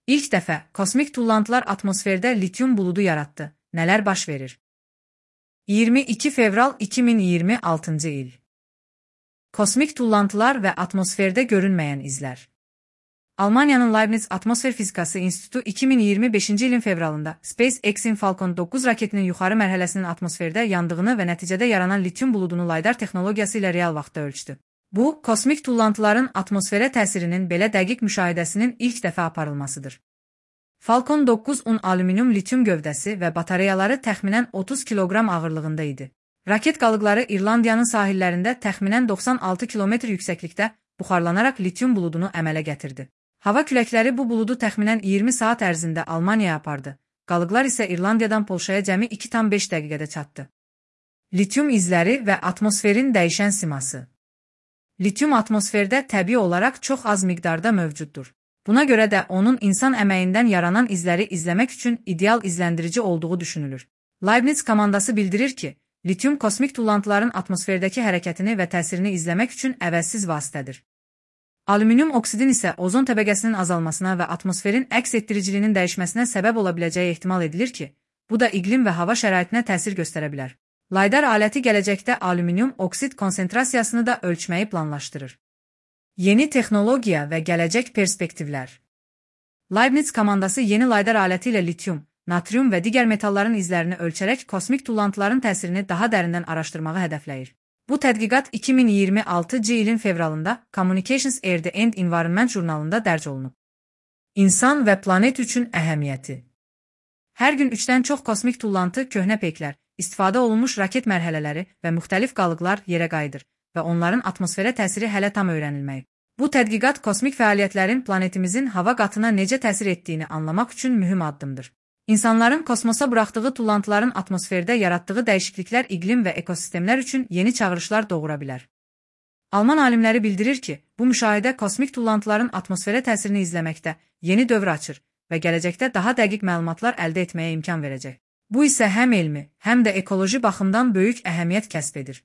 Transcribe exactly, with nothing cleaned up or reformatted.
İlk dəfə kosmik tullantılar atmosferdə lityum buludu yaratdı. Nələr baş verir? iyirmi iki fevral iki min iyirmi altıncı il. Kosmik tullantılar və atmosferdə görünməyən izlər. Almaniyanın Leibniz Atmosfer Fizikası İnstitutu iki min iyirmi beşinci ilin fevralında SpaceX-in Falcon dokuz raketinin yuxarı mərhələsinin atmosferdə yandığını və nəticədə yaranan lityum buludunu laydar texnologiyası ilə real vaxtda ölçdü. Bu, kosmik tullantıların atmosferə təsirinin belə dəqiq müşahidəsinin ilk dəfə aparılmasıdır. Falcon dokuzun alüminium lityum gövdəsi və batareyaları təxminən otuz kiloqram ağırlığında idi. Raket qalıqları İrlandiyanın sahillərində təxminən doxsan altı kilometr yüksəklikdə buxarlanaraq lityum buludunu əmələ gətirdi. Hava küləkləri bu buludu təxminən iyirmi saat ərzində Almaniyaya apardı. Qalıqlar isə İrlandiyadan Polşaya cəmi iki tam beş dəqiqədə çatdı. Lityum izləri və atmosferin dəyişən siması. Lityum atmosferdə təbii olaraq çox az miqdarda mövcuddur. Buna görə də onun insan əməyindən yaranan izləri izləmək üçün ideal izləndirici olduğu düşünülür. Leibniz komandası bildirir ki, lityum kosmik tullantıların atmosferdəki hərəkətini və təsirini izləmək üçün əvəzsiz vasitədir. Alüminium oksidin isə ozon təbəqəsinin azalmasına və atmosferin əks etdiriciliyinin dəyişməsinə səbəb ola biləcəyi ehtimal edilir ki, bu da iqlim və hava şəraitinə təsir göstərə bilər. Laydar aləti gələcəkdə alüminium oksid konsentrasiyasını da ölçməyi planlaşdırır. Yeni texnologiya və gələcək perspektivlər. Leibniz komandası yeni laydar aləti ilə lityum, natrium və digər metalların izlərini ölçərək kosmik tullantıların təsirini daha dərindən araşdırmağı hədəfləyir. Bu tədqiqat iki min iyirmi altıncı ilin fevralında Communications Air and Environment jurnalında dərc olunub. İnsan və planet üçün əhəmiyyəti. Hər gün üçdən çox kosmik tullantı, köhnə peyklər, istifadə olunmuş raket mərhələləri və müxtəlif qalıqlar yerə qayıdır və onların atmosferə təsiri hələ tam öyrənilməyib. Bu tədqiqat kosmik fəaliyyətlərin planetimizin hava qatına necə təsir etdiyini anlamaq üçün mühüm addımdır. İnsanların kosmosa buraxdığı tullantıların atmosferdə yaratdığı dəyişikliklər iqlim və ekosistemlər üçün yeni çağırışlar doğura bilər. Alman alimləri bildirir ki, bu müşahidə kosmik tullantıların atmosferə təsirini izləməkdə yeni dövr açır və gələcəkdə daha dəqiq məlumatlar əldə etməyə imkan verəcək. Bu isə həm elmi, həm də ekoloji baxımdan böyük əhəmiyyət kəsb edir.